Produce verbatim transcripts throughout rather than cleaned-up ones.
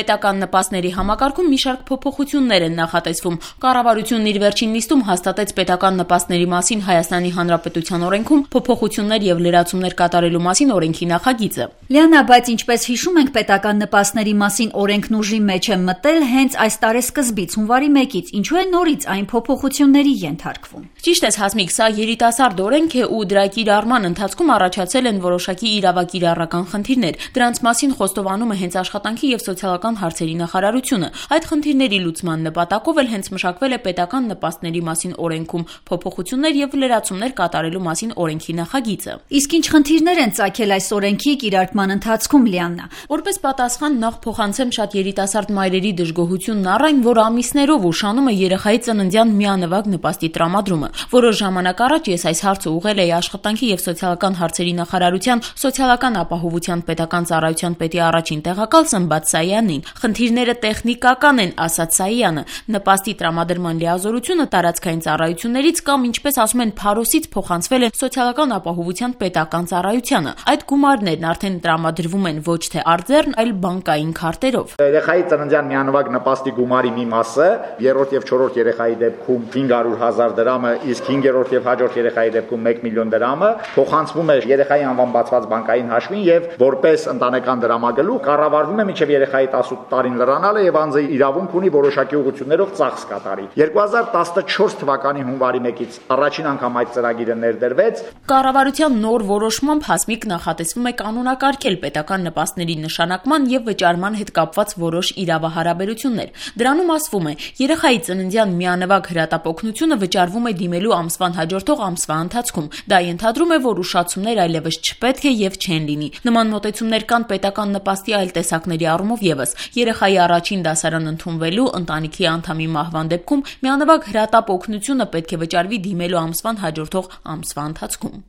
Պետական նպաստների համակարգում մի շարք փոփոխություններ են նախատեսվում։ Կառավարությունն իր վերջին նիստում հաստատեց պետական նպաստների մասին Հայաստանի Հանրապետության օրենքում փոփոխություններ եւ լրացումներ կատարելու մասին օրենքի նախագիծը։ Լիանա, բայց ինչպես հիշում ենք, պետական նպաստների մասին օրենքն ուժի մեջ է մտել հենց այս տարեսկզբից, հունվարի մեկից, ինչու է նորից այն փոփոխությունների ենթարկվում։ Ճիշտ ես, Հասմիկ, սա երիտասարդ օրենք է ու դրա կիրառման ընթացքում առաջացել են որոշակի իրավակիրառական խնդիրներ։ Դրանց մասին խոստովանում է հենց Աշխատանքի եւ սոցիալական հարցերի նախարարությունը։ Այդ խնդիրների լուծման նպատակով էլ հենց մշակվել է պետական նպաստների մասին օրենքում փոփոխություններ եւ լրացումներ կատարելու մասին օրենքի նախագիծը։ Իսկ ինչ խնդիրներ են ծագել այս օրենքի կիրառման ընթացքում, Լիանա։ Որպես պատասխան նախ փոխանցեմ շատ երիտասարդ մայրերի դժգոհությունն առ այն, որ ամիսներով ուշանում է երեխայի ծննդյան միանվագ նպաստի տրամադրումը։ Որոշ ժամանակ առաջ ես այս հարցը ուղղել էի Աշխատանքի եւ սոցիալական հարցերի նախարարության սոցիալական ապահովության պետական ծառայության պետի առաջին տեղակալ Սմբատ Սայանին։ Խնդիրները տեխնիկական են, ասաց Սայանը։ Նպաստի տրամադրման լիազորությունը տարածքային ծառայություններից կամ, ինչպես ասում են, փարոսից փոխանցվել է սոցիալական ապահովության պետական ծառայությանը։ Այդ գումարներն արդեն տրամադրվում են ոչ թե արձեռն, այլ բանկային քարտերով։ Երեխայի ծննդյան միանվագ նպաստի գումարի մի մասը երրորդ եւ չորրորդ երեխայի դեպքում հինգ հարյուր հազար դրամը, իսկ հինգերորդ եւ հաջորդ երեխայի դեպքում մեկ միլիոն դրամը փոխանցվում է երեխայի անվան բացված բանկային հաշվին եւ որպես ընտանեկան դրամագլուխ կառավարվում է մինչեւ երեխայի տասնութ տարին լրանալը եւ անձը իրավունք ունի որոշակի ուղղություններով ծախս կատարի։ երկու հազար տասնչորս թվականի հունվարի մեկից առաջին անգամ այդ ծրագիրը ներդրվեց։ Կառավարության նոր որոշմամբ Հասմիկ նախատեսվում է կանոնակարգել պետական նպաստների նշանակման եւ վճարման հետ կապված որոշ իրավահարաբերություններ։ Դրանում ասվում է, երեխայի ծննդյան միանվագ հրատապօգնությունը վճարվում է դիմելու ամսվան հաջորդող ամսվա ընթացքում։ Դա ենթադրում է, որ ուշացումներ այլևս չպետք է եւ չեն լինի։ Նման մոտեցումներ կան պետական նպաստի այլ տեսակների առումով եւս։ Երեխայի առաջին դասարան ընդունվելու, ընտանիքի անդամի մահվան դեպքում միանվագ հրատապօգնությունը պետք է վճարվի դիմելու ամսվան հաջորդող ամսվա ընթացքում։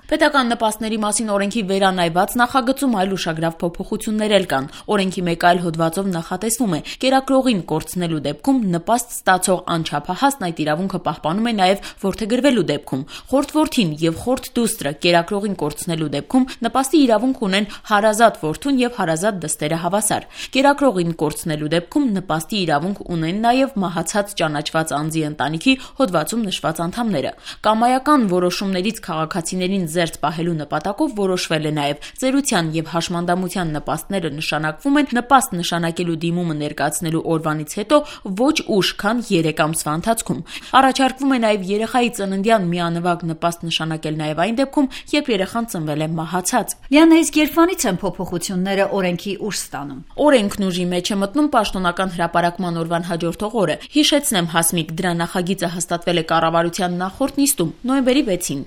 Պետական նպաստների մասին օրենքի վերանայված նախագծում այլ ուշագրավ փոփոխություններ էլ կան։ Օրենքի մեկ այլ հոդվածով նախատեսվում է կերակրողին կորցնելու դեպքում նպաստ ստացող անչափահասն այդ իրավունքը պահպանում է նաև որդեգրվելու դեպքում։ Խորթ-որդին եւ խորթ-դուստրը կերակրողին կորցնելու դեպքում նպաստի իրավունք ունեն հարազատ որդուն եւ հարազատ դստերը հավասար։ Կերակրողին կորցնելու դեպքում նպաստի իրավունք ունեն նաև մահացած ճանաչված անձի ընտանիքի հոդվածում նշված անդամները։ Կամայական որոշումներից քաղաքացիներին զերծ պահելու նպատակով որոշվել է նաև ծերության եւ հաշմանդամության նպաստները նշանակվում են նպաստ նշանակելու դիմումը ներկայացնելու օրվանից հետո ոչ ուշ, քան երեք ամսվա ընթացքում։ Առաջարկվում է նաև երեխայի ծննդյան միանվագ նպաստ նշանակել նաև այն դեպքում, երբ երեխան ծնվել է մահացած։ Լիանա, իսկ երբանից են փոփոխությունները օրենքի ուժ ստանում։ Օրենքն ուժի մեջ է մտնում պաշտոնական հրապարակման օրվան հաջորդող օրը։ Հիշեցնեմ, Հասմիկ, դրա նախագիծը հաստատվել է կառավարության նախորդ նիստում, նոյեմբերի վեցին։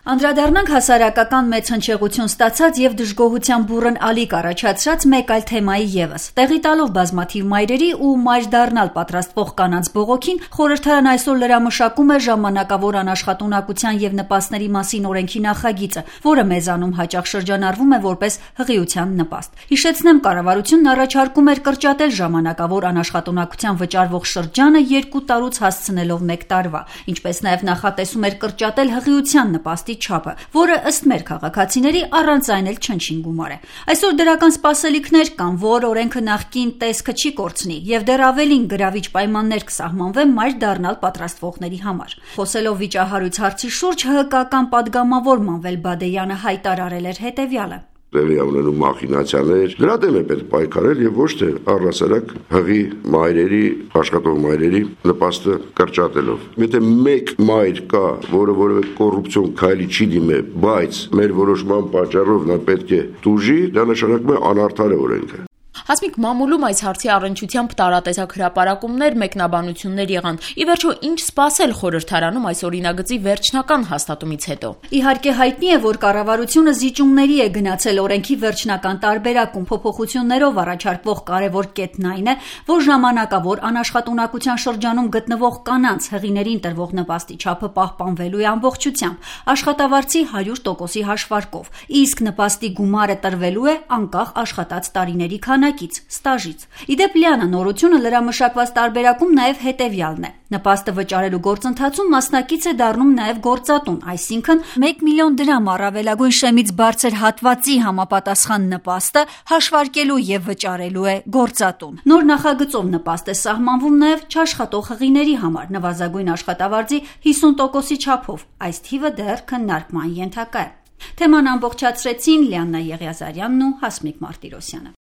Անդրադառնանք հասարակական մեծ հնչեղություն ստացած եւ դժգոհության բուռն ալիք առաջացրած մեկ այլ թեմայի եւս։ Տեղի տալով բազմաթիվ մայրերի ու մայր դառնալ պատրաստվող կանանց բողոքին, խորհրդարանն այսօր լրամշակում է ժամանակավոր անաշխատունակության եւ նպաստների մասին օրենքի նախագիծը, որը մեզանում հաճախ շրջանառվում է որպես հղիության նպաստ։ Հիշեցնեմ, կառավարությունն առաջարկում էր կրճատել ժամանակավոր անաշխատունակության վճարվող շրջանը երկու տարուց հասցնելով մեկ տարվա, ինչպես նաեւ նախատեսում էր կրճատել հղիության նպաստի չափը, որը ըստ մեր քաղաքացիների առանց այն էլ չնչին գումար է։ Այսօր դրական սպասելիքներ կան, որ օրենքը նախկին տեսքը չի կորցնի եւ դեռ ավելին գրավիչ պայմաններ կսահմանվեն մայր դառնալ պատրաստվողների համար։ Խոսելով վիճահարույց հարցի շուրջ, ՀՀԿ-ական падգամավոր Մանվել Բադեյանը հայտարարել էր հետեւյալը. Տեղի ունենում մախինացիաներ, դրա դեմ է պետք պայքարել եւ ոչ թե առասարակ հղի մայրերի, աշխատող մայրերի նպաստը կրճատելով։ Եթե մեկ մայր կա, որը որևէ կոռուպցիոն քայլի չի դիմե, բայց մեր որոշման պատճառով նա պետք է տուժի, դա նշանակում է անարդար է օրենքը։ Հասմիկ, մամուլում այս հարցի առնչությամբ տարատեսակ հրապարակումներ, մեկնաբանություններ եղան։ Ի վերջո, ինչ սպասել խորհրդարանում այս օրինագծի վերջնական հաստատումից հետո։ Իհարկե հայտնի է, որ կառավարությունը զիջումների է գնացել օրենքի վերջնական տարբերակում։ Փոփոխություններով առաջարկվող կարևոր կետն այն է, որ ժամանակավոր անաշխատունակության շրջանում գտնվող կանանց հղիներին տրվող նպաստի չափը պահպանվելու է ամբողջությամբ, աշխատավարձի հարյուր տոկոսի հաշվարկով, իսկ նպաստի գումարը տրվելու է անկախ աշխատած տարիների քանակից։ մասնակից, ստաժից։ Իդեպ Լիանա նորությունը լրամշակված տարբերակում նաև հետևյալն է. նպաստը վճարելու գործընթացում մասնակից է դառնում նաև գործատուն, այսինքն մեկ միլիոն դրամ առավելագույն շեմից բարձր հատվածի համապատասխան նպաստը հաշվարկելու եւ վճարելու է գործատուն։ Նոր նախագծով նպաստ է սահմանվում նաև չաշխատող հղիների համար նվազագույն աշխատավարձի հիսուն տոկոսի չափով։ Այս թիվը դեռ քննարկման ենթակա է։ Թեման ամբողջացրեցին Լիաննա Եղիազարյանն ու Հասմիկ Մարտիրոսյանը։